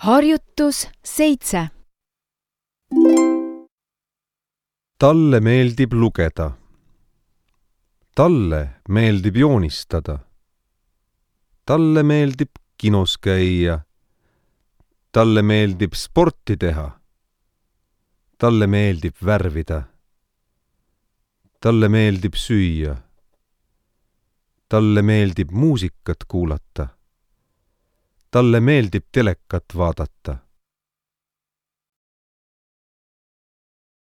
Harjutus 7. Talle meeldib lugeda. Talle meeldib joonistada. Talle meeldib kinos käia. Talle meeldib sporti teha. Talle meeldib värvida. Talle meeldib süüa. Talle meeldib muusikat kuulata. Talle meeldib telekat vaadata.